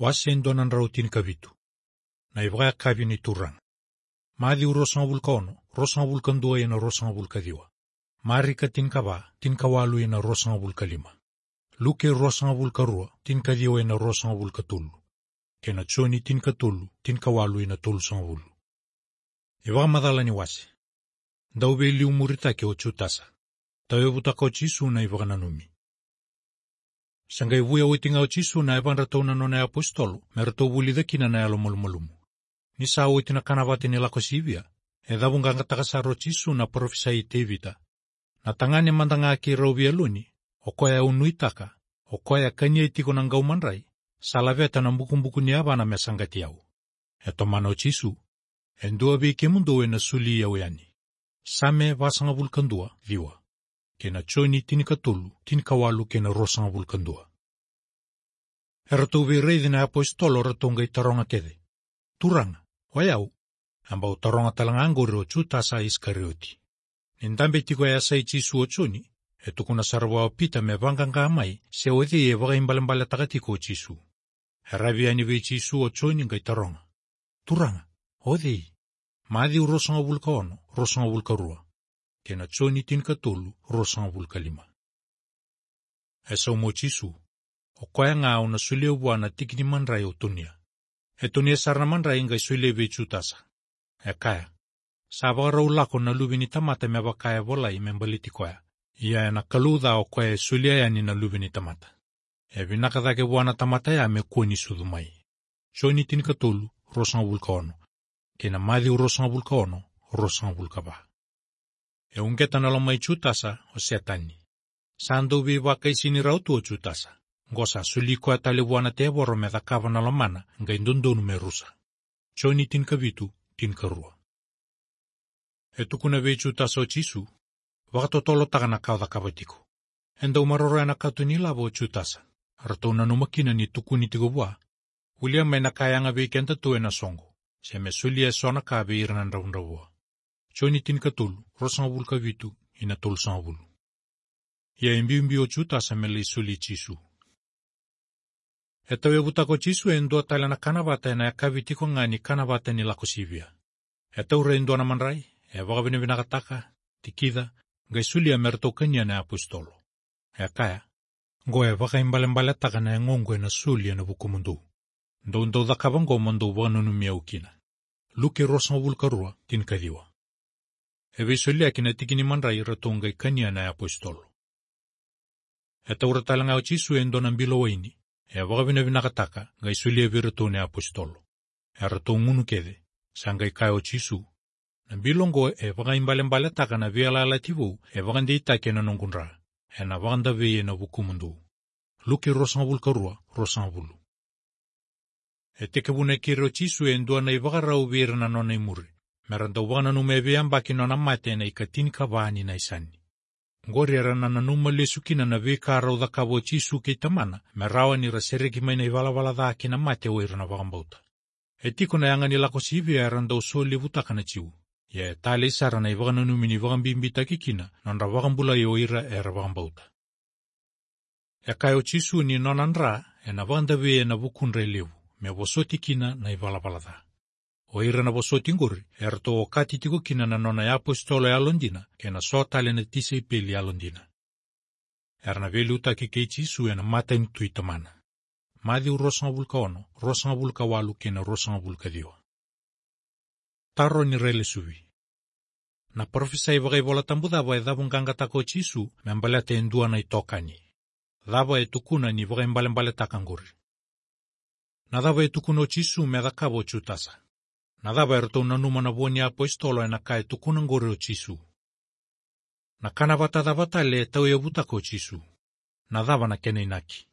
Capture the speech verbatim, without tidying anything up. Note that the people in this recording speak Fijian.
Wase e dua na drau tinikavitu. Na ivakayakavi ni Turaga. Maciu ruasagavulu ka ono, ruasagavulu ka dua ina ruasagavulu ka ciwa. Marika tinikava, tinikawalu ina ruasagavulu ka lima. Luke ruasagavulu ka rua, tinikaciwa ina ruasagavulu ka tolu. Kei na Joni tinikatolu, tinikawalu ina tolusagavulu. Ivakamacala ni wase. Dau veiliumuritaki o Jutasa. Tauyavutaka o Jisu na ivakananumi. Sa qai vuya oti ga o Jisu na yavadra tu na nona iapositolo, me ratou vulica kina na yalomalumalumu. Ni sa oti na kanavata ni Lako Sivia, e cavuqaqataka sara o Jisu na parofisai i Tevita. Na tagane mada ga keirau veialoni, o koya au nuitaka, o koya e kania tiko na qau madrai, sa laveta na bukubuku ni yavana me saqati au. E tomana o Jisu, e dua vei kemudou ena soli au yani. Same vasagavulu ka dua, ciwa. Kei na Joni tinikatolu, tinikawalu kei na ruasagavulu ka dua. Eratou veiraici na iapositolo ratou qai taroga kece. Turaga, o yau? A bau taroga tale ga qori o Jutasa Isikarioti. Ni dabe tiko e yasai Jisu o Joni, e tukuna sara vua o Pita me vaqaqa mai, se o cei e vakaibalebaletaka tiko o Jisu. E ravi yani vei Jisu o Joni qai taroga. Turaga, o cei? Maciu ruasagavulu ka ono, ruasagavulu ka rua. Kei na Joni tinikatolu, ruasagavulu ka lima. E sauma o Jisu. O koya ga au na solia vua na tiki ni madrai au tonia. E tonia sara na madrai qai solia vei Jutasa. E kaya. Sa vakarau lako na Luve ni tamata me vaka e volai me baleti koya. Ia ena kalou ca o koya e solia yani na Luve ni tamata. E vinaka cake vua na tamata ya me kua ni sucu mai. Joni tinikatolu, ruasagavulu ka ono. Kei na Maciu ruasagavulu ka ono, ruasagavulu ka va. E uqeta na loma i Jutasa o Setani. Sa dau veivakaisini rawa tu o Jutasa. Qo sa soli koya tale vua na tevoro me cakava na lomana, qai dodonu me rusa. Joni tinikavitu, tinikarua. E tukuna vei Jutasa o Jisu, vakatotolotaka na ka o cakava tiko. E dau maroroya na kato ni lavo o Jutasa. Ratou nanuma kina ni tukuni tiko vua. Volia mai na ka e yaga vei keda tu ena soqo. Se me solia eso na ka vei ira na dravudravua. Joni tinikatolu, ruasagavulu ka vitu, ina tolusagavulu. Ia e biubiu o Jutasa me lai soli Jisu. E tauyavutaka o Jisu e dua tale na kanavata ena yakavi tiko ga ni kanavata ni Lako Sivia. E taura e dua na madrai, e vakavinavinakataka, tikica, qai solia me ratou kania na iapositolo. E kaya, qo e vakaibalebaletaka na yagoqu ena soli ena vukumudou. Dou dau cakava qo mo dou vakananumi au kina. Luke ruasagavulu ka rua, tinikaciwa. E veisoliyaki na tiki ni madrai ratou qai kania na iapositolo. E taura tale ga o Jisu e dua na bilo waini, e vakavinavinakataka, qai solia vei iratou na iapositolo. Eratou gunu kece, sa qai kaya o Jisu, na bilo oqo e vakaibalebaletaka na veiyalayalati vou e vakadeitaki ena noqu dra, ena vakadavei ena vukumudou. Luke ruasagavulu ka rua, ruasagavulu. E tekivuna e keri o Jisu e dua na ivakarau vei ira na nona imuri, mera dau vakananuma e veiyabaki nona mate ena ikatinikava ni Naisani. Qori era na nanuma lesu kina na veika rau cakava o Jisu kei Tamana, me rawa ni ra sereki mai na ivalavala ca kei na mate o ira na vakabauta. E tiko na yaga ni Lako Sivia era dau solevutaka na Jiu. Ia e talei sara na ivakananumi ni vakabibitaki kina nodra vakabulai o ira era vakabauta. E kaya o Jisu ni nona dra ena vakadavei ena vukudra e levu, me vosoti kina na ivalavala ca. O ira na vosoti qori eratou okati tiko kina na nona iapositolo yalodina kei na so tale na tisaipeli yalodina. Era na veiliutaki kei Jisu ena matanitu i Tamana. Maciu ruasagavulu ka ono, ruasagavulu ka walu kei na ruasagavulu ka ciwa. Taro ni railesuvi. Na parofisai vakaivolatabu cava e cavuqaqataka o Jisu me baleta e dua na itokani? Cava e tukuna ni vakaibalebaletaka qori? Na cava e tukuna o Jisu me cakava o Jutasa? Na cava eratou nanuma na vo ni iapositolo ena ka e tukuna qori o Jisu? Na kanavata cava tale e tauyavutaka o Jisu? Na cava na kena inaki?